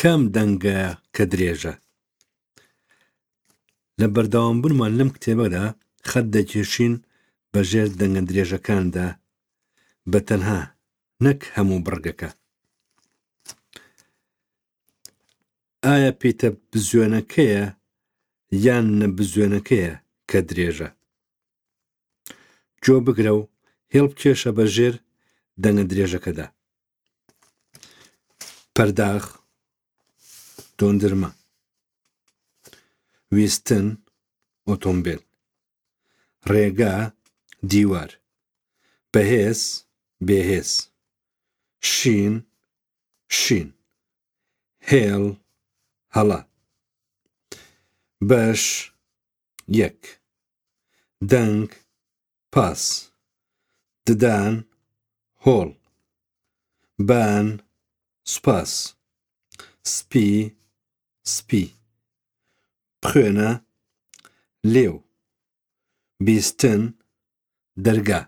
کام دەنگە کە درێژە؟ لە بەردەوامبوونمان لەم کتێبەدا خەت دەکێشین بە ژێر دەنگە درێژەکاندا بە تەنها نەک هەموو بڕگەکە. ئایا پیتە بزوێنەکەیە یان نەبزوێنەکەیە کە درێژە؟ گۆ بگرە و هێڵ بکێشە بە ژێر دەنگە درێژەکەدا. پەرداخ، دۆندرمە. ویستن، ئۆتۆمبێل. ڕێگا، دیوار. بەهێز، بێهێز. شین، شین. هێڵ، هەڵە. بەش، یەک. دەنگ، پاس. ددان، هۆڵ. بان، سوپاس. سپی، سپی. بخوێنە، لێو. بیستن، دەرگا.